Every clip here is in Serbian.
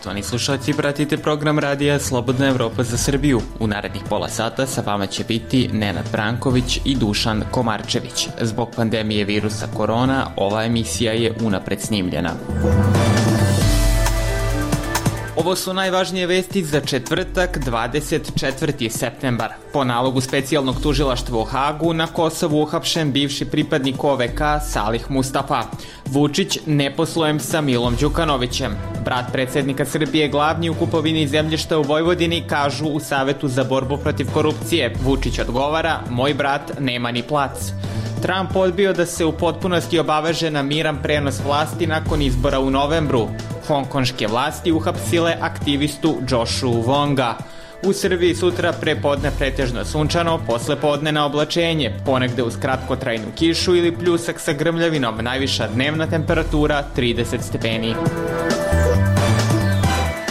Poštovani slušalci, pratite program radija Slobodna Evropa za Srbiju. U narednih pola sata sa vama će biti Nenad Branković i Dušan Komarčević. Zbog pandemije virusa korona, ova emisija je unapred snimljena. Ovo su najvažnije vesti za četvrtak, 24. septembar. Po nalogu specijalnog tužilaštva u Hagu na Kosovu uhapšen bivši pripadnik OVK Salih Mustafa. Vučić ne poslujem sa Milom Đukanovićem. Brat predsjednika Srbije glavni u kupovini zemljišta u Vojvodini, kažu u Savetu za borbu protiv korupcije. Vučić odgovara, moj brat nema ni plac. Trump odbio da se u potpunosti obaveže na miran prenos vlasti nakon izbora u novembru. Hongkonške vlasti uhapsile aktivistu Joshua Wonga. U Srbiji sutra prepodne pretežno sunčano, posle podne na oblačenje, ponegde uz kratkotrajnu kišu ili pljusak sa grmljavinom, najviša dnevna temperatura 30 stepeni.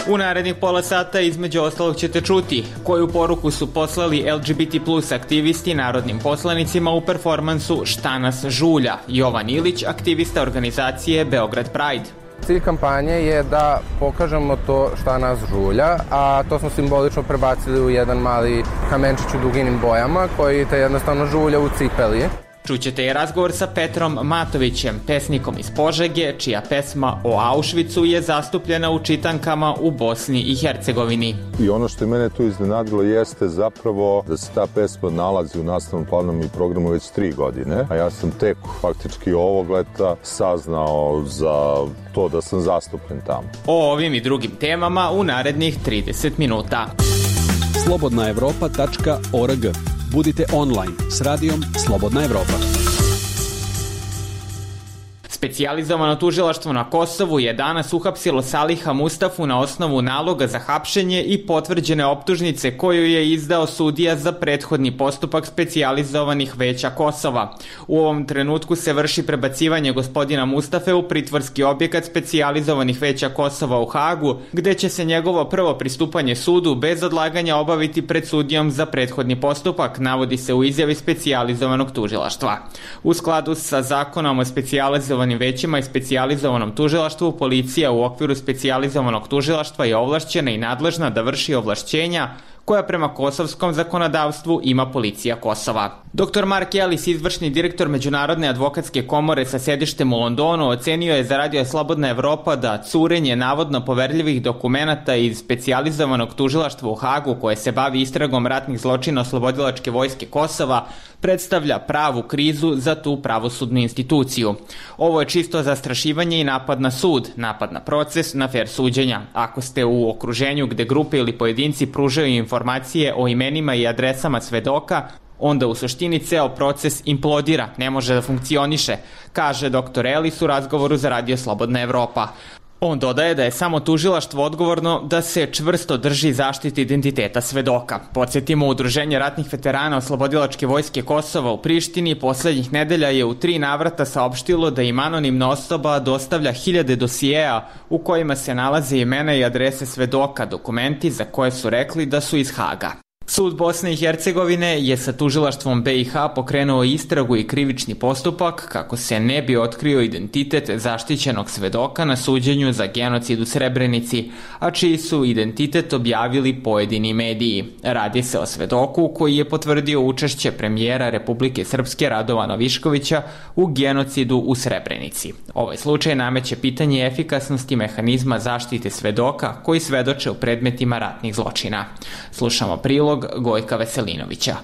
U narednih pola sata između ostalog ćete čuti koju poruku su poslali LGBT plus aktivisti narodnim poslanicima u performansu Šta nas žulja. Jovan Ilić, aktivista organizacije Beograd Pride. Cilj kampanje je da pokažemo to šta nas žulja, a to smo simbolično prebacili u jedan mali kamenčić u duginim bojama koji te jednostavno žulja u cipeli. Čućete i razgovor sa Petrom Matovićem, pesnikom iz Požege, čija pesma o Auschwitzu je zastupljena u čitankama u Bosni i Hercegovini. I ono što je mene tu iznenadilo jeste zapravo da se ta pesma nalazi u nastavnom planu i programu već 3 godine, a ja sam tek faktički ovog leta saznao za to da sam zastupljen tamo. O ovim i drugim temama u narednih 30 minuta. slobodnaevropa.org. Budite online s radijom Slobodna Evropa. Specijalizovano tužilaštvo na Kosovu je danas uhapsilo Saliha Mustafu na osnovu naloga za hapšenje i potvrđene optužnice koju je izdao sudija za prethodni postupak specijalizovanih veća Kosova. U ovom trenutku se vrši prebacivanje gospodina Mustafe u pritvorski objekat specijalizovanih veća Kosova u Hagu, gde će se njegovo prvo pristupanje sudu bez odlaganja obaviti pred sudijom za prethodni postupak, navodi se u izjavi specijalizovanog tužilaštva. U skladu sa zakonom o specijalizovanim većima i specijalizovanom tužilaštvu, policija u okviru specijalizovanog tužilaštva je ovlašćena i nadležna da vrši ovlašćenja koja prema kosovskom zakonodavstvu ima policija Kosova. Dr. Mark Ellis, izvršni direktor Međunarodne advokatske komore sa sedištem u Londonu, ocenio je za Radio Slobodna Evropa da curenje navodno poverljivih dokumenata iz specijalizovanog tužilaštva u Hagu koje se bavi istragom ratnih zločina Oslobodilačke vojske Kosova predstavlja pravu krizu za tu pravosudnu instituciju. Ovo je čisto zastrašivanje i napad na sud, napad na proces, na fer suđenja. Ako ste u okruženju gde grupe ili pojedinci pružaju informacije o imenima i adresama svedoka, onda u suštini ceo proces implodira, ne može da funkcioniše, kaže dr. Ellis u razgovoru za Radio Slobodna Evropa. On dodaje da je samo tužilaštvo odgovorno da se čvrsto drži zaštite identiteta svedoka. Podsjetimo, Udruženje ratnih veterana Oslobodilačke vojske Kosova u Prištini poslednjih nedelja je u 3 navrata saopštilo da im anonimna osoba dostavlja 1000 dosijeja u kojima se nalaze imena i adrese svedoka, dokumenti za koje su rekli da su iz Haga. Sud Bosne i Hercegovine je sa tužilaštvom BiH pokrenuo istragu i krivični postupak kako se ne bi otkrio identitet zaštićenog svedoka na suđenju za genocid u Srebrenici, a čiji su identitet objavili pojedini mediji. Radi se o svedoku koji je potvrdio učešće premijera Republike Srpske Radovana Viškovića u genocidu u Srebrenici. Ovaj slučaj nameće pitanje efikasnosti mehanizma zaštite svedoka koji svedoče u predmetima ratnih zločina. Slušamo prilog Gojka Veselinovića.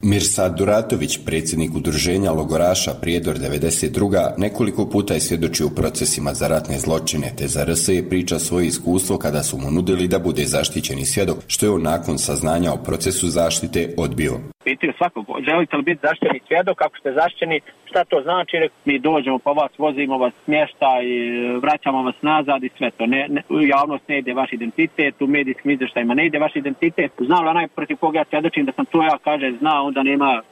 Mirsad Duratović, predsjednik udruženja logoraša Prijedor 92. nekoliko puta je svjedočio u procesima za ratne zločine, te za RS je priča svoje iskustvo kada su mu nudili da bude zaštićeni svjedok, što je on nakon saznanja o procesu zaštite odbio. Pitaju svakog, želite li biti zaštićeni svjedok, ako ste zaštićeni, šta to znači? Mi dođemo po vas, vozimo vas smještaj, vraćamo vas nazad i sve to. U javnost ne ide vaš identitet, u medijskim izvještajima ne ide vaš identitet. Znam li onaj protiv koga ja svjedočim da sam to ja, kaže, zna, onda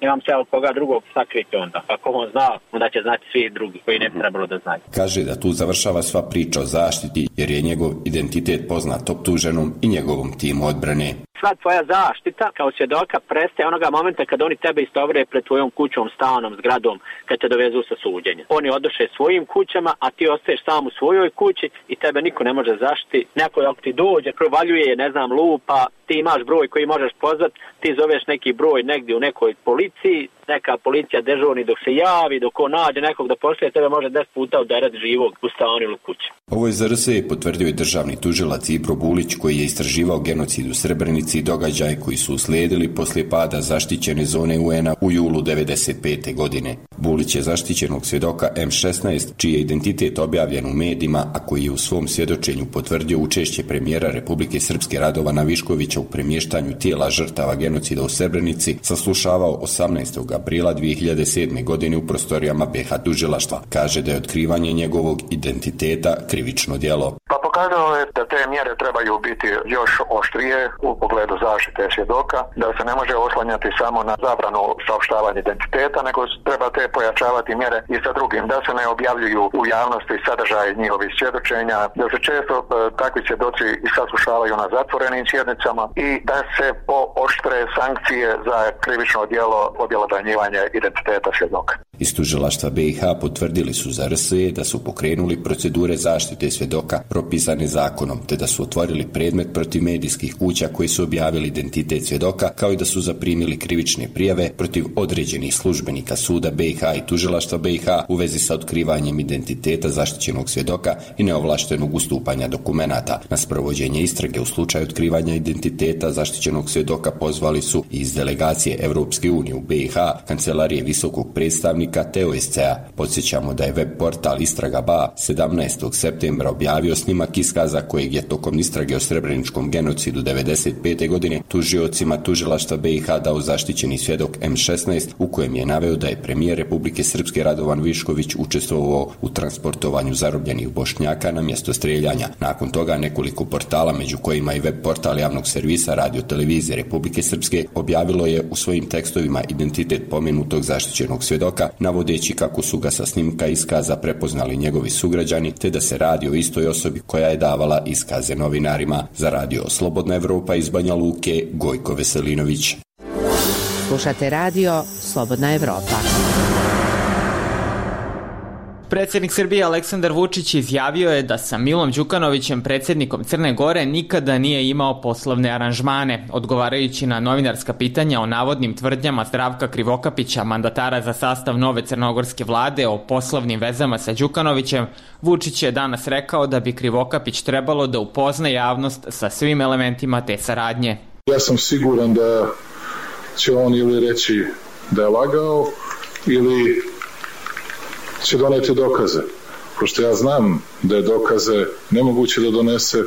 nemam se od koga drugog sakriti onda. Ako on zna, onda će znati svi drugi koji ne bi trebalo da znaju. Kaže da tu završava sva priča o zaštiti jer je njegov identitet poznat optuženom i njegovom timu odbrane. Sva tvoja zaštita kao svjedoka prestaje onoga momenta kad oni tebe istovre pred tvojom kućom, stanom, zgradom, kad te dovezu sa suđenja. Oni odoše svojim kućama, a ti ostaješ sam u svojoj kući i tebe niko ne može zaštiti. Neko ako ti dođe, provaljuje, ne znam, lupa, ti imaš broj koji možeš pozvati, ti zoveš neki broj negdje u nekoj policiji, neka policija dežurni dok se javi, dok on nađe nekog da pošalje, tebe može 10 puta udarati živog u stanu ili kući. Ovo je za RSE potvrdio i državni tužilac Ibro Bulić, koji je istraživao genocid u Srebrenici i događaje koji su uslijedili poslije pada zaštićene zone UN-a u julu 1995. godine. Bulić je zaštićenog svjedoka M16, čiji je identitet objavljen u medijima, a koji je u svom svjedočenju potvrdio učešće premijera Republike Srpske Radovana Viškovića u premještanju tijela žrtava genocida u Srebrenici, saslušavao 18. aprila 2007. godine u prostorijama BiH tužilaštva. Kaže da je otkrivanje njegovog identiteta krivično djelo. Pokazalo je da te mjere trebaju biti još oštrije u pogledu zaštite svjedoka, da se ne može oslanjati samo na zabranu saopštavanja identiteta, nego treba te pojačavati mjere i sa drugim, da se ne objavljuju u javnosti sadržaj njihovih svjedočenja, da se često takvi svjedoci i saslušavaju na zatvorenim sjednicama i da se pooštre sankcije za krivično djelo objelodanjivanja identiteta svjedoka. Iz tužilaštva BiH potvrdili su za RSE da su pokrenuli procedure zaštite svjedoka propisane zakonom, te da su otvorili predmet protiv medijskih kuća koji su objavili identitet svjedoka, kao i da su zaprimili krivične prijave protiv određenih službenika suda BiH i tužilaštva BiH u vezi sa otkrivanjem identiteta zaštićenog svjedoka i neovlaštenog ustupanja dokumenata. Na sprovođenje istrage u slučaju otkrivanja identiteta zaštićenog svjedoka pozvali su iz delegacije Europske unije u BiH, kancelarije visokog predstavnika te OSCE-a. Podsjećamo da je web portal Istraga.ba 17. septembra objavio snimak iskaza kojeg je tokom istrage o srebreničkom genocidu 1995. godine tužiocima tužilaštva BiH dao zaštićeni svjedok M16, u kojem je naveo da je premijer Republike Srpske Radovan Višković učestvovao u transportovanju zarobljenih Bošnjaka na mjesto streljanja. Nakon toga nekoliko portala, među kojima i web portal javnog servisa Radio Televizije Republike Srpske, objavilo je u svojim tekstovima identitet pomenutog zaštićenog svjedoka, navodeći kako su ga sa snimka iskaza prepoznali njegovi sugrađani, te da se radi o istoj osobi koja je davala iskaze novinarima. Za radio Slobodna Evropa iz Banja Luke, Gojko Veselinović. Slušate radio Slobodna Evropa. Predsjednik Srbije Aleksandar Vučić izjavio je da sa Milom Đukanovićem, predsjednikom Crne Gore, nikada nije imao poslovne aranžmane. Odgovarajući na novinarska pitanja o navodnim tvrdnjama Zdravka Krivokapića, mandatara za sastav nove crnogorske vlade, o poslovnim vezama sa Đukanovićem, Vučić je danas rekao da bi Krivokapić trebalo da upozna javnost sa svim elementima te saradnje. Ja sam siguran da će on ili reći da je lagao ili će doneti dokaze. Pošto ja znam da je dokaze nemoguće da donese,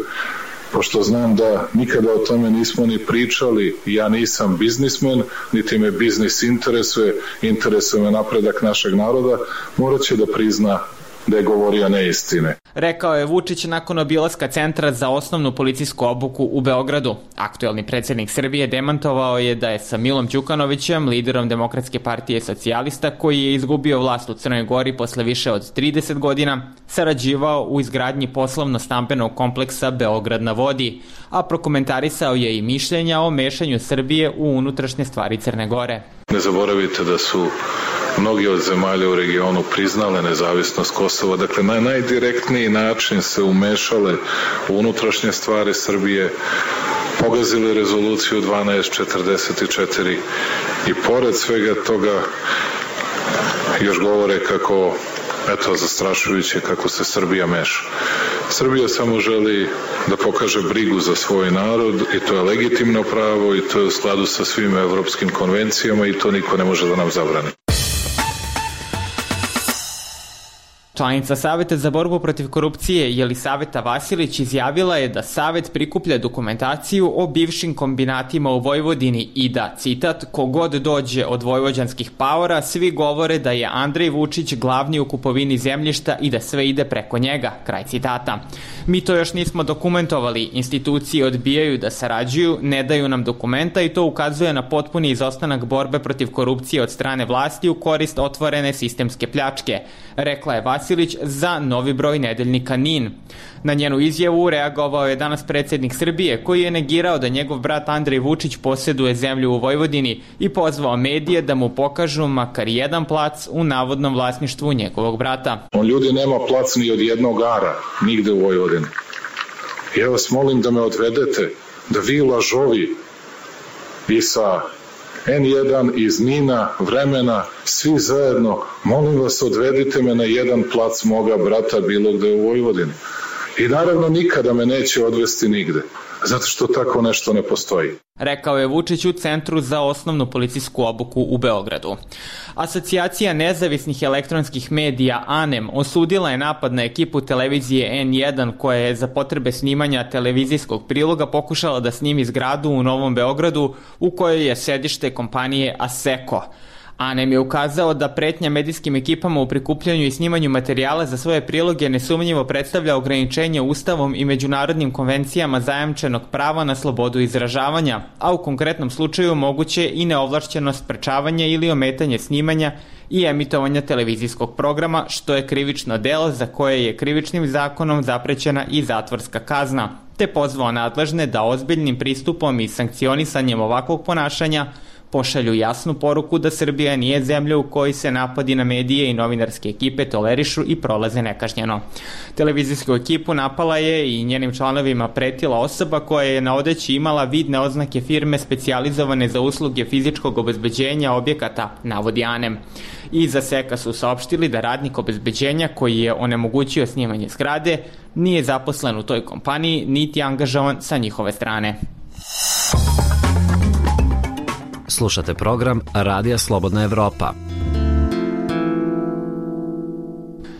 pošto znam da nikada o tome nismo ni pričali, ja nisam biznismen, niti me biznis interesuje me napredak našeg naroda, morat će da prizna da je govorio neistine. Rekao je Vučić nakon obilaska Centra za osnovnu policijsku obuku u Beogradu. Aktuelni predsjednik Srbije demantovao je da je sa Milom Đukanovićem, liderom Demokratske partije socijalista, koji je izgubio vlast u Crnoj Gori posle više od 30 godina, sarađivao u izgradnji poslovno-stambenog kompleksa Beograd na vodi, a prokomentarisao je i mišljenja o mešanju Srbije u unutrašnje stvari Crne Gore. Ne zaboravite da su mnogi od zemalja u regionu priznale nezavisnost Kosova, dakle na najdirektniji način se umešale u unutrašnje stvari Srbije, pogazili rezoluciju 1244 i pored svega toga još govore kako, eto, zastrašujuće kako se Srbija meša. Srbija samo želi da pokaže brigu za svoj narod i to je legitimno pravo i to je u skladu sa svim evropskim konvencijama i to niko ne može da nam zabrani. Članica Saveta za borbu protiv korupcije Jelisaveta Vasilić izjavila je da Savet prikuplja dokumentaciju o bivšim kombinatima u Vojvodini i da, citat, kogod dođe od vojvođanskih paora, svi govore da je Andrej Vučić glavni u kupovini zemljišta i da sve ide preko njega, kraj citata. Mi to još nismo dokumentovali, institucije odbijaju da sarađuju, ne daju nam dokumenta i to ukazuje na potpuni izostanak borbe protiv korupcije od strane vlasti u korist otvorene sistemske pljačke, rekla je Vasilić za novi broj nedeljnika NIN. Na njenu izjavu reagovao je danas predsjednik Srbije, koji je negirao da njegov brat Andrej Vučić posjeduje zemlju u Vojvodini i pozvao medije da mu pokažu makar jedan plac u navodnom vlasništvu njegovog brata. On ljudi nema plac ni od jednog ara, nigde u Vojvodini. Ja vas molim da me odvedete, da vi lažovi i sa N1 iz Nina, Vremena, svi zajedno, molim vas odvedite me na jedan plac moga brata bilo gde u Vojvodini. I naravno nikada me neće odvesti nigde, zato što tako nešto ne postoji. Rekao je Vučić u Centru za osnovnu policijsku obuku u Beogradu. Asocijacija nezavisnih elektronskih medija ANEM osudila je napad na ekipu televizije N1 koja je za potrebe snimanja televizijskog priloga pokušala da snimi zgradu u Novom Beogradu u kojoj je sedište kompanije Asseco. ANEM je ukazao da pretnja medijskim ekipama u prikupljanju i snimanju materijala za svoje priloge nesumnjivo predstavlja ograničenje Ustavom i međunarodnim konvencijama zajamčenog prava na slobodu izražavanja, a u konkretnom slučaju moguće i neovlašćeno sprečavanje ili ometanje snimanja i emitovanja televizijskog programa, što je krivično delo za koje je krivičnim zakonom zaprećena i zatvorska kazna, te pozvao nadležne da ozbiljnim pristupom i sankcionisanjem ovakvog ponašanja pošalju jasnu poruku da Srbija nije zemlja u kojoj se napadi na medije i novinarske ekipe tolerišu i prolaze nekažnjeno. Televizijsku ekipu napala je i njenim članovima pretila osoba koja je na odeći imala vidne oznake firme specijalizovane za usluge fizičkog obezbeđenja objekata, navodi ANEM. Iz Asseca su saopštili da radnik obezbeđenja koji je onemogućio snimanje zgrade nije zaposlen u toj kompaniji niti angažovan sa njihove strane. Slušate program Radija Slobodna Evropa.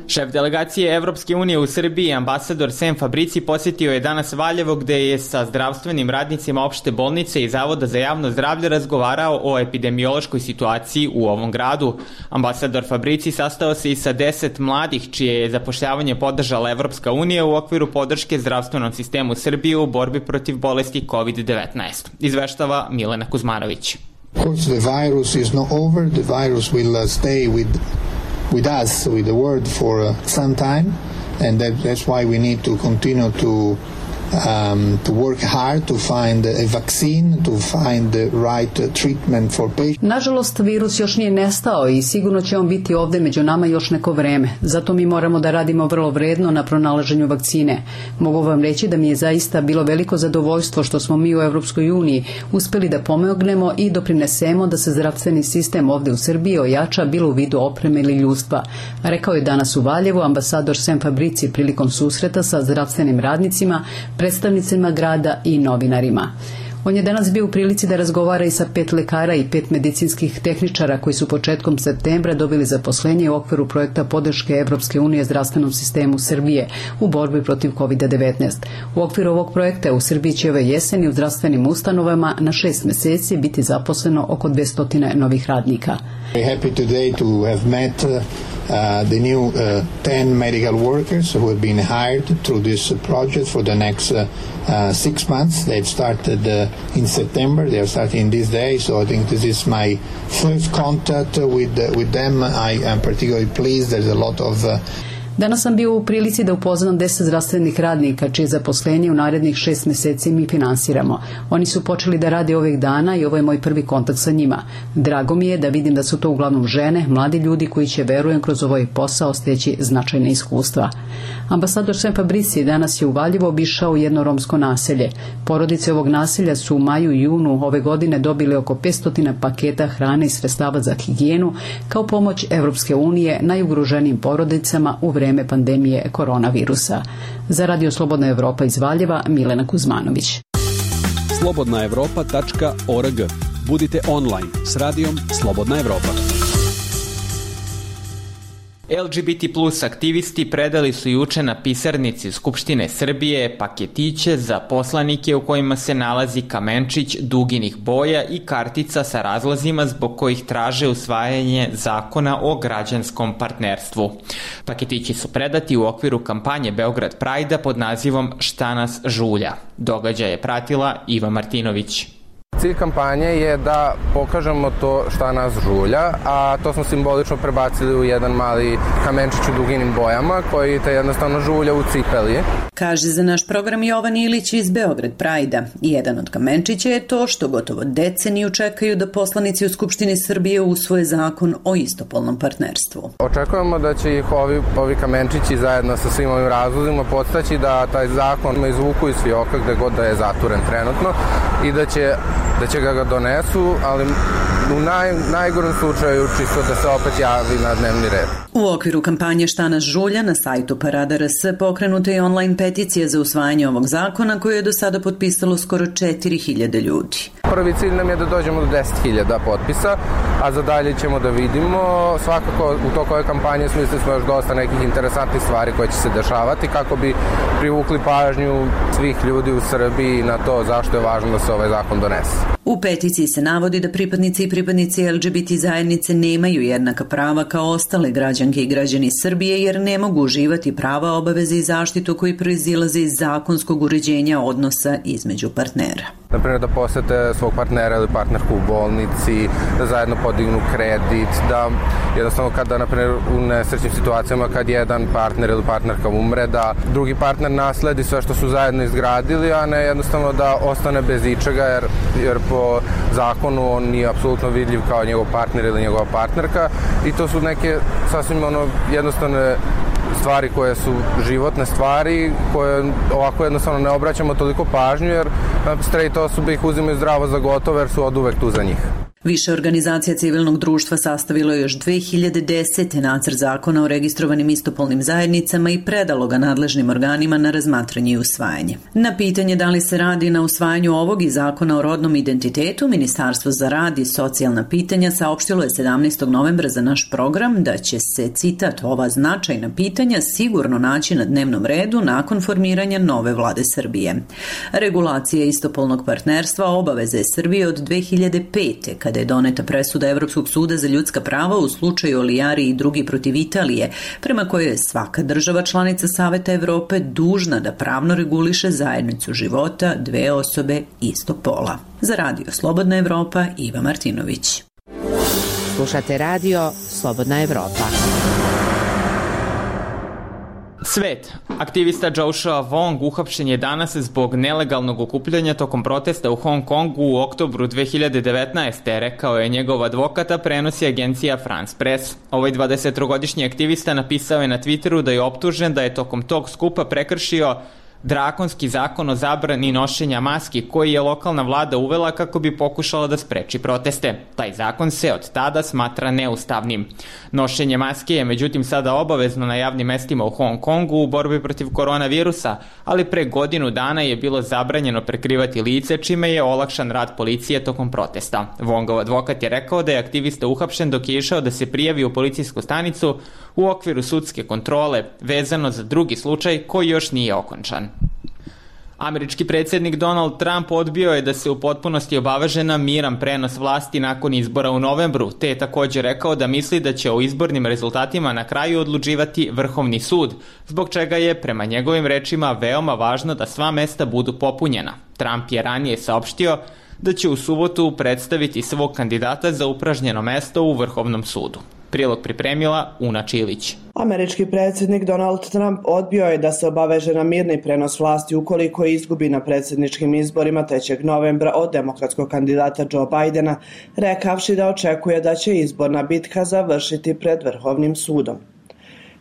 Šef delegacije Evropske unije u Srbiji, ambasador Sem Fabrici, posjetio je danas Valjevo gde je sa zdravstvenim radnicima opšte bolnice i Zavoda za javno zdravlje razgovarao o epidemiološkoj situaciji u ovom gradu. Ambasador Fabrici sastao se i sa 10 mladih čije je zapošljavanje podržala Evropska unija u okviru podrške zdravstvenom sistemu Srbije u borbi protiv bolesti COVID-19. Izveštava Milena Kuzmanović. Of course, the virus is not over. The virus will stay with us, with the world for some time, and that's why we need to continue to work hard to find a vaccine, to find the right treatment for patients. Nažalost, virus još nije nestao i sigurno će on biti ovde među nama još neko vreme. Zato mi moramo da radimo vrlo vredno na pronalaženju vakcine. Mogu vam reći da mi je zaista bilo veliko zadovoljstvo što smo mi u Evropskoj uniji uspeli da pomognemo i doprinesemo da se zdravstveni sistem ovde u Srbiji ojača bilo u vidu opreme ili ljudstva. Rekao je danas u Valjevu ambasador Sem Fabrici prilikom susreta sa zdravstvenim radnicima, predstavnicima grada i novinarima. On je danas bio u prilici da razgovara i sa 5 lekara i 5 medicinskih tehničara koji su početkom septembra dobili zaposlenje u okviru projekta podrške Evropske unije zdravstvenom sistemu Srbije u borbi protiv COVID-19. U okviru ovog projekta u Srbiji će ove jeseni u zdravstvenim ustanovama na 6 meseci biti zaposleno oko 200 novih radnika. Very happy today to have met the new 10 medical workers who have been hired through this project for the next 6 months. They've started in September. They are starting this day, so I think this is my first contact with them. I am particularly pleased. There's a lot of Danas sam bio u prilici da upoznam 10 zdravstvenih radnika čije zaposlenje u narednih 6 meseci mi finansiramo. Oni su počeli da rade ovih dana i ovo je moj prvi kontakt sa njima. Drago mi je da vidim da su to uglavnom žene, mladi ljudi koji će, verujem, kroz ovaj posao steći značajne iskustva. Ambasador Sem Fabrici danas je u Valjevu obišao jedno romsko naselje. Porodice ovog naselja su u maju i junu ove godine dobili oko 500 paketa hrane i sredstava za higijenu kao pomoć Evropske unije najugroženijim porodicama u vreme pandemije koronavirusa. Za Radio Slobodna Evropa iz Valjeva, Milena Kuzmanović. slobodnaevropa.org. Budite online s radijom Slobodna Evropa. LGBT plus aktivisti predali su juče na pisarnici Skupštine Srbije paketiće za poslanike u kojima se nalazi kamenčić duginih boja i kartica sa razlozima zbog kojih traže usvajanje zakona o građanskom partnerstvu. Paketići su predati u okviru kampanje Beograd Prajda pod nazivom Šta nas žulja. Događaj je pratila Iva Martinović. Cilj kampanje je da pokažemo to šta nas žulja, a to smo simbolično prebacili u jedan mali kamenčić u duginim bojama koji te jednostavno žulja u cipeli. Kaže za naš program Jovan Ilić iz Beograd Prajda. Jedan od kamenčića je to što gotovo deceniju čekaju da poslanici u Skupštini Srbije usvoje zakon o istopolnom partnerstvu. Očekujemo da će ih ovi kamenčići zajedno sa svim ovim razlozima podstaći da taj zakon izvuku iz fioka gde god da je zaturen trenutno i da će ga donesu, ali u najgorem slučaju čisto da se opet javi na dnevni red. U okviru kampanje Šta nas žulja na sajtu Parada RS pokrenuta je online peticija za usvajanje ovog zakona koju je do sada potpisalo skoro 4000 ljudi. Prvi cilj nam je da dođemo do 10.000 potpisa, a za dalje ćemo da vidimo. Svakako u toku ove kampanje smislili smo još dosta nekih interesantnih stvari koje će se dešavati kako bi privukli pažnju svih ljudi u Srbiji na to zašto je važno da se ovaj zakon donese. U peticiji se navodi da pripadnici i pripadnici LGBT zajednice nemaju jednaka prava kao ostale građanke i građani Srbije jer ne mogu uživati prava, obaveze i zaštitu koji proizilaze iz zakonskog uređenja odnosa između partnera. Naprimjer da posete svog partnera ili partnerku u bolnici, da zajedno podignu kredit, da jednostavno kada, naprimjer, u nesrećnim situacijama kad jedan partner ili partnerka umre, da drugi partner nasledi sve što su zajedno izgradili, a ne jednostavno da ostane bez ičega jer po zakonu on nije apsolutno vidljiv kao njegov partner ili njegova partnerka i to su neke sasvim jednostavne stvari koje su životne stvari koje ovako jednostavno ne obraćamo toliko pažnju jer straight osobe ih uzimaju zdravo za gotovo jer su oduvek tu za njih. Više organizacija civilnog društva sastavilo je još 2010. nacrt zakona o registrovanim istopolnim zajednicama i predalo ga nadležnim organima na razmatranje i usvajanje. Na pitanje da li se radi na usvajanju ovog i zakona o rodnom identitetu, Ministarstvo za rad i socijalna pitanja saopštilo je 17. novembra za naš program da će se, citat, ova značajna pitanja sigurno naći na dnevnom redu nakon formiranja nove vlade Srbije. Regulacija istopolnog partnerstva obaveze je Srbije od 2005. kada je doneta presuda Evropskog suda za ljudska prava u slučaju Olijari i drugi protiv Italije, prema kojoj je svaka država članica Saveta Evrope dužna da pravno reguliše zajednicu života dve osobe istog pola. Za Radio Slobodna Evropa, Iva Martinović. Slušate Radio Slobodna Evropa. Svet. Aktivista Joshua Wong uhapšen je danas zbog nelegalnog okupljanja tokom protesta u Hong Kongu u oktobru 2019. Rekao je njegov advokat, a prenosi agencija France Press. Ovaj 23-godišnji aktivista napisao je na Twitteru da je optužen da je tokom tog skupa prekršio drakonski zakon o zabrani nošenja maski koji je lokalna vlada uvela kako bi pokušala da spreči proteste. Taj zakon se od tada smatra neustavnim. Nošenje maske je međutim sada obavezno na javnim mestima u Hong Kongu u borbi protiv koronavirusa, ali pre godinu dana je bilo zabranjeno prekrivati lice, čime je olakšan rad policije tokom protesta. Wongov advokat je rekao da je aktivista uhapšen dok je išao da se prijavi u policijsku stanicu u okviru sudske kontrole vezano za drugi slučaj koji još nije okončan. Američki predsjednik Donald Trump odbio je da se u potpunosti obaveže na miran prenos vlasti nakon izbora u novembru, te je također rekao da misli da će o izbornim rezultatima na kraju odlučivati Vrhovni sud, zbog čega je, prema njegovim rečima, veoma važno da sva mesta budu popunjena. Trump je ranije saopštio da će u subotu predstaviti svog kandidata za upražnjeno mesto u Vrhovnom sudu. Prilog pripremila Una Čilić. Američki predsjednik Donald Trump odbio je da se obaveže na mirni prenos vlasti ukoliko izgubi na predsjedničkim izborima 3. novembra od demokratskog kandidata Joe Bidena, rekavši da očekuje da će izborna bitka završiti pred Vrhovnim sudom.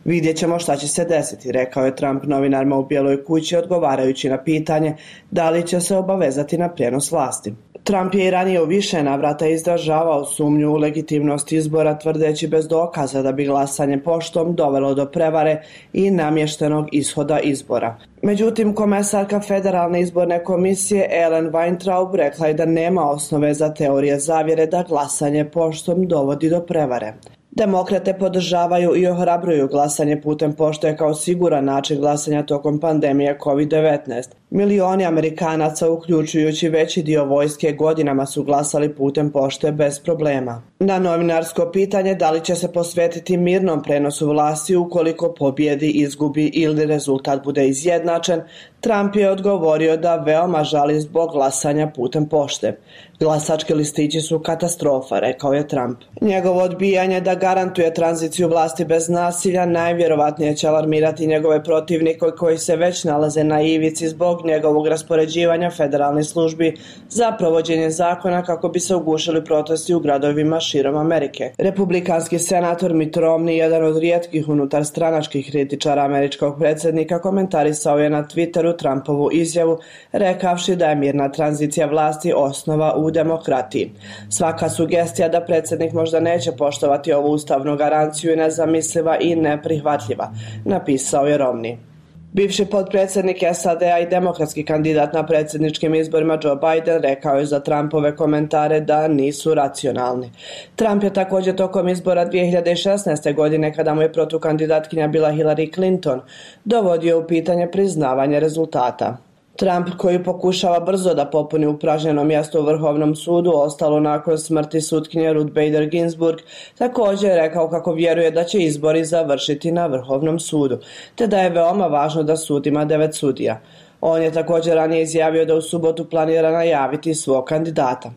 Vidjet ćemo šta će se desiti, rekao je Trump novinarima u Bijeloj kući odgovarajući na pitanje da li će se obavezati na prenos vlasti. Trump je i ranije u više navrata izražavao sumnju u legitimnost izbora, tvrdeći bez dokaza da bi glasanje poštom dovelo do prevare i namještenog ishoda izbora. Međutim, komesarka Federalne izborne komisije Ellen Weintraub rekla je da nema osnove za teorije zavjere da glasanje poštom dovodi do prevare. Demokrate podržavaju i ohrabruju glasanje putem pošte kao siguran način glasanja tokom pandemije COVID-19. Milioni Amerikanaca, uključujući veći dio vojske, godinama su glasali putem pošte bez problema. Na novinarsko pitanje da li će se posvetiti mirnom prenosu vlasti ukoliko pobjedi, izgubi ili rezultat bude izjednačen, Trump je odgovorio da veoma žali zbog glasanja putem pošte. Glasački listići su katastrofa, rekao je Trump. Njegovo odbijanje da garantuje tranziciju vlasti bez nasilja najvjerovatnije će alarmirati njegove protivnike koji se već nalaze na ivici zbog njegovog raspoređivanja federalnih službi za provođenje zakona kako bi se ugušili protesti u gradovima širom Amerike. Republikanski senator Mitt Romney, jedan od rijetkih unutarstranačkih kritičara američkog predsjednika, komentarisao je na Twitteru Trumpovu izjavu, rekavši da je mirna tranzicija vlasti osnova u demokratiji. Svaka sugestija da predsjednik možda neće poštovati ovu ustavnu garanciju je nezamisliva i neprihvatljiva, napisao je Romney. Bivši potpredsjednik SAD-a i demokratski kandidat na predsjedničkim izborima Joe Biden rekao je za Trumpove komentare da nisu racionalni. Trump je također tokom izbora 2016. godine, kada mu je protukandidatkinja bila Hillary Clinton, dovodio u pitanje priznavanje rezultata. Trump, koji pokušava brzo da popuni upražnjeno mjesto u Vrhovnom sudu, ostalo nakon smrti sutkinje Ruth Bader Ginsburg, također je rekao kako vjeruje da će izbori završiti na Vrhovnom sudu, te da je veoma važno da sud ima 9 sudija. On je također ranije izjavio da u subotu planira najaviti svog kandidata.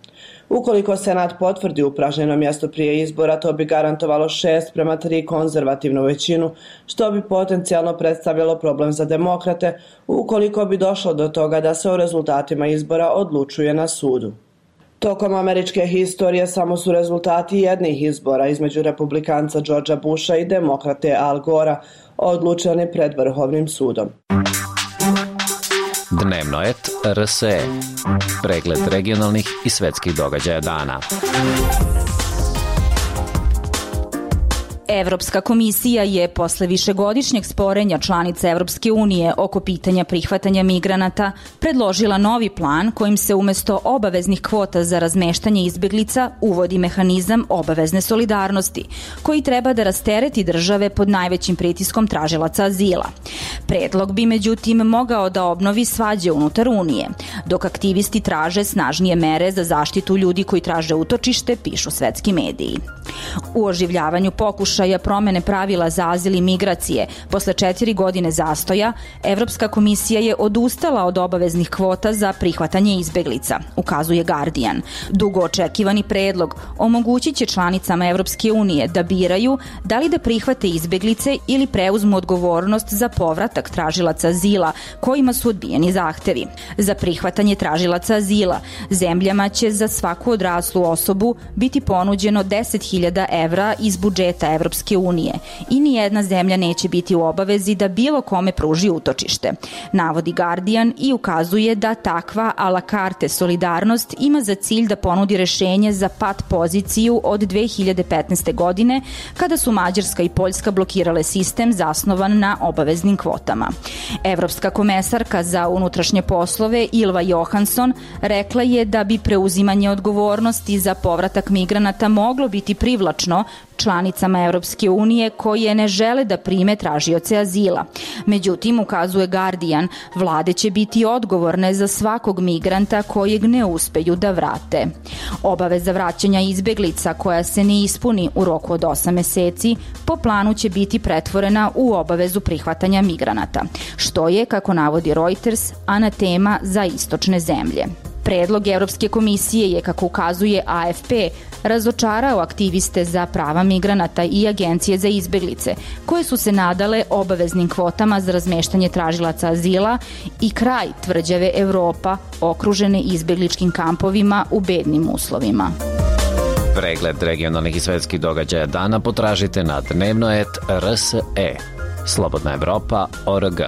Ukoliko Senat potvrdi upražnjeno mjesto prije izbora, to bi garantovalo 6:3 konzervativnu većinu, što bi potencijalno predstavljalo problem za demokrate ukoliko bi došlo do toga da se o rezultatima izbora odlučuje na sudu. Tokom američke historije samo su rezultati jednih izbora između republikanca Georgea Busha i demokrate Al Gora odlučeni pred Vrhovnim sudom. Dnevno et RSE. Pregled regionalnih i svetskih događaja dana. Evropska komisija je posle višegodišnjeg sporenja članica Evropske unije oko pitanja prihvatanja migranata predložila novi plan kojim se umesto obaveznih kvota za razmeštanje izbeglica uvodi mehanizam obavezne solidarnosti, koji treba da rastereti države pod najvećim pritiskom tražilaca azila. Predlog bi međutim mogao da obnovi svađe unutar Unije, dok aktivisti traže snažnije mere za zaštitu ljudi koji traže utočište, pišu svetski mediji. U oživljavanju pokušaja promene pravila za azil i migracije posle 4 godine zastoja, Evropska komisija je odustala od obaveznih kvota za prihvatanje izbeglica, ukazuje Guardian. Dugo očekivani predlog omogućit će članicama Evropske unije da biraju da li da prihvate izbeglice ili preuzmu odgovornost za povratak tražilaca azila kojima su odbijeni zahtevi. Za prihvatanje tražilaca azila zemljama će za svaku odraslu osobu biti ponuđeno 10.000 evra iz budžeta Evropske unije i nijedna zemlja neće biti u obavezi da bilo kome pruži utočište, navodi Guardian i ukazuje da takva a la carte solidarnost ima za cilj da ponudi rešenje za pat poziciju od 2015. godine kada su Mađarska i Poljska blokirale sistem zasnovan na obaveznim kvotama. Evropska komesarka za unutrašnje poslove Ylva Johansson rekla je da bi preuzimanje odgovornosti za povratak migranata moglo biti privlačno članicama Evropske unije koje ne žele da prime tražioce azila. Međutim, ukazuje Guardian, vlade će biti odgovorne za svakog migranta kojeg ne uspeju da vrate. Obaveza vraćanja izbeglica koja se ne ispuni u roku od 8 meseci po planu će biti pretvorena u obavezu prihvatanja migranata, što je, kako navodi Reuters, anatema za istočne zemlje. Predlog Evropske komisije je, kako ukazuje AFP, razočarao aktiviste za prava migranata i agencije za izbeglice, koje su se nadale obaveznim kvotama za razmeštanje tražilaca azila i kraj tvrđave Evropa okružene izbegličkim kampovima u bednim uslovima. Pregled regionalnih i svetskih događaja dana potražite na dnevnoet.rse. Slobodna Evropa.org.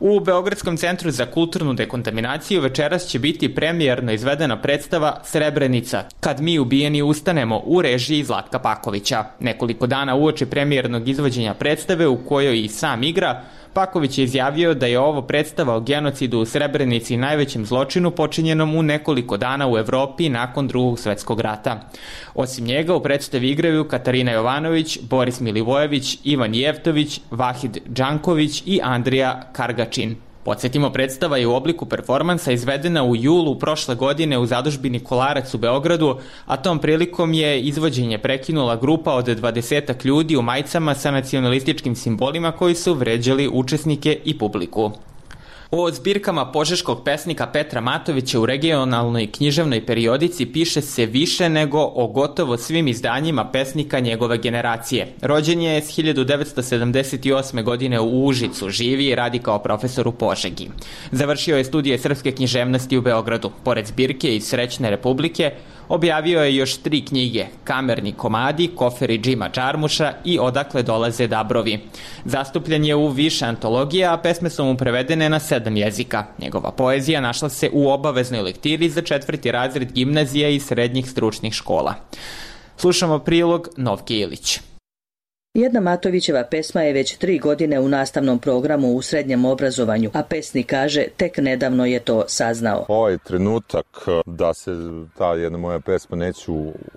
U Beogradskom centru za kulturnu dekontaminaciju večeras će biti premijerno izvedena predstava Srebrenica, Kad mi ubijeni ustanemo, u režiji Zlatka Pakovića. Nekoliko dana uoči premijernog izvođenja predstave, u kojoj i sam igra, Paković je izjavio da je ovo predstava o genocidu u Srebrenici, najvećem zločinu počinjenom u nekoliko dana u Evropi nakon Drugog svetskog rata. Osim njega u predstavi igraju Katarina Jovanović, Boris Milivojević, Ivan Jevtović, Vahid Đanković i Andrija Kargačin. Podsjetimo, predstava je u obliku performansa izvedena u julu prošle godine u zadužbini Kolarac u Beogradu, a tom prilikom je izvođenje prekinula grupa od 20 ljudi u majicama sa nacionalističkim simbolima koji su vređali učesnike i publiku. O zbirkama požeškog pesnika Petra Matovića u regionalnoj književnoj periodici piše se više nego o gotovo svim izdanjima pesnika njegove generacije. Rođen je s 1978. godine u Užicu, živi i radi kao profesor u Požegi. Završio je studije srpske književnosti u Beogradu. Pored zbirke iz Srećne Republike, objavio je još 3 knjige, Kamerni komadi, Koferi Džima Čarmuša i Odakle dolaze dabrovi. Zastupljen je u više antologija, a pesme su mu prevedene na 7 jezika. Njegova poezija našla se u obaveznoj lektiri za 4. razred gimnazija i srednjih stručnih škola. Slušamo prilog Novke Ilić. Jedna Matovićeva pesma je već 3 godine u nastavnom programu u srednjem obrazovanju, a pesnik kaže tek nedavno je to saznao. Ovaj trenutak da se ta jedna moja pesma Neću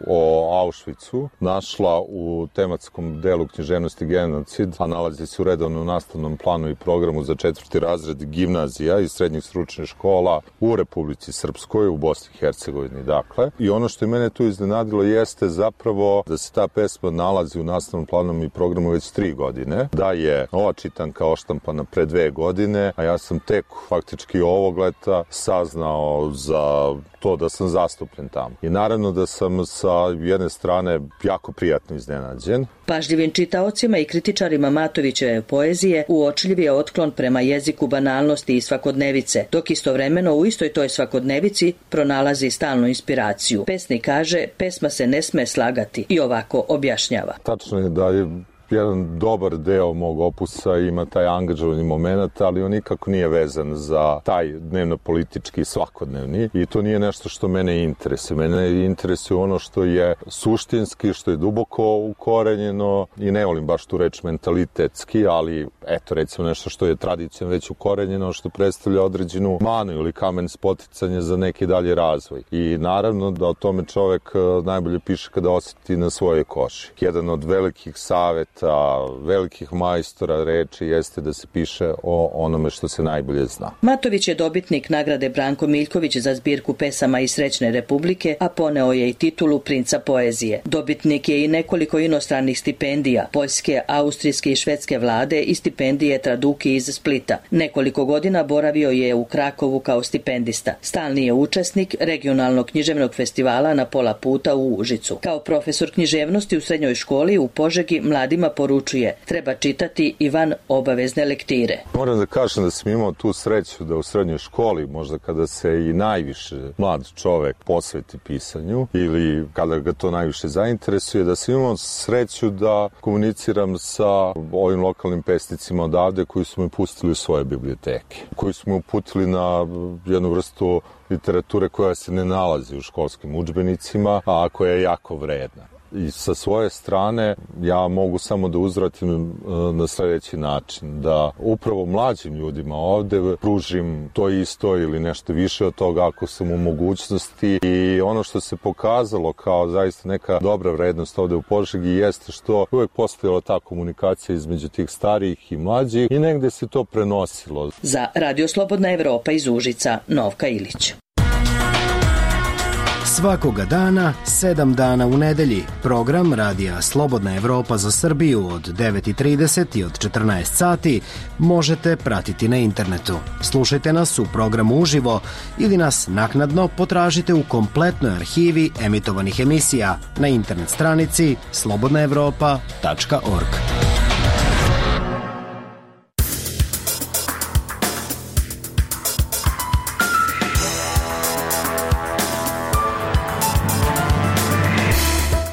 o Auschwitzu našla u tematskom delu književnosti genocid, a nalazi se u redovnom nastavnom planu i programu za 4. razred gimnazija i srednjih stručnih škola u Republici Srpskoj, u Bosni i Hercegovini, dakle. I ono što je mene tu iznenadilo jeste zapravo da se ta pesma nalazi u nastavnom planu i programu već 3 godine, da je ova čitanka oštampana pre 2 godine, a ja sam tek faktički ovog leta saznao za to da sam zastupljen tamo. I naravno da sam sa jedne strane jako prijatno iznenađen. Pažljivim čitaocima i kritičarima Matovićeve poezije uočljiv je otklon prema jeziku banalnosti i svakodnevice, dok istovremeno u istoj toj svakodnevici pronalazi stalnu inspiraciju. Pesnik kaže, pesma se ne sme slagati i ovako objašnjava. Tačno je da je jedan dobar deo mog opusa ima taj angažovani moment, ali on nikako nije vezan za taj dnevno-politički svakodnevni i to nije nešto što mene interesuje. Mene interesuje ono što je suštinski, što je duboko ukorenjeno i ne volim baš tu reč mentalitetski, ali eto recimo nešto što je tradicijom već ukorenjeno, što predstavlja određenu manu ili kamen spoticanja za neki dalji razvoj. I naravno da o tome čovek najbolje piše kada osjeti na svojoj koži. Jedan od velikih saveta velikih majstora reči jeste da se piše o onome što se najbolje zna. Matović je dobitnik nagrade Branko Miljković za zbirku pesama iz Srećne Republike, a poneo je i titulu princa poezije. Dobitnik je i nekoliko inostranih stipendija, poljske, austrijske i švedske vlade i stipendije Traduki iz Splita. Nekoliko godina boravio je u Krakovu kao stipendista. Stalni je učesnik regionalnog književnog festivala na pola puta u Užicu. Kao profesor književnosti u srednjoj školi u Požegi mladima poručuje, treba čitati i van obavezne lektire. Moram da kažem da sam imao tu sreću da u srednjoj školi, možda kada se i najviše mlad čovek posveti pisanju ili kada ga to najviše zainteresuje, da sam imao sreću da komuniciram sa ovim lokalnim pesnicima odavde koji su me pustili u svoje biblioteke, koji su me uputili na jednu vrstu literature koja se ne nalazi u školskim udžbenicima, a koja je jako vredna. I sa svoje strane ja mogu samo da uzvratim na sledeći način, da upravo mlađim ljudima ovde pružim to isto ili nešto više od toga ako sam u mogućnosti. I ono što se pokazalo kao zaista neka dobra vrednost ovde u Požegi jeste što uvek postojala ta komunikacija između tih starijih i mlađih i negde se to prenosilo. Za Radio Slobodna Evropa iz Užica, Novka Ilić. Svakoga dana, 7 dana u nedelji, program Radija Slobodna Evropa za Srbiju od 9:30 i od 14 sati možete pratiti na internetu. Slušajte nas u programu uživo ili nas naknadno potražite u kompletnoj arhivi emitovanih emisija na internet stranici slobodnaevropa.org.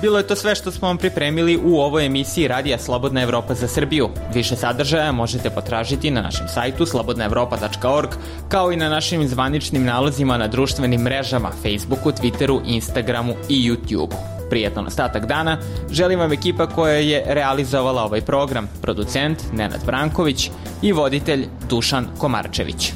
Bilo je to sve što smo vam pripremili u ovoj emisiji Radija Slobodna Evropa za Srbiju. Više sadržaja možete potražiti na našem sajtu slobodnaevropa.org, kao i na našim zvaničnim nalozima na društvenim mrežama, Facebooku, Twitteru, Instagramu i YouTubeu. Prijetan ostatak dana želim vam ekipa koja je realizovala ovaj program, producent Nenad Branković i voditelj Dušan Komarčević.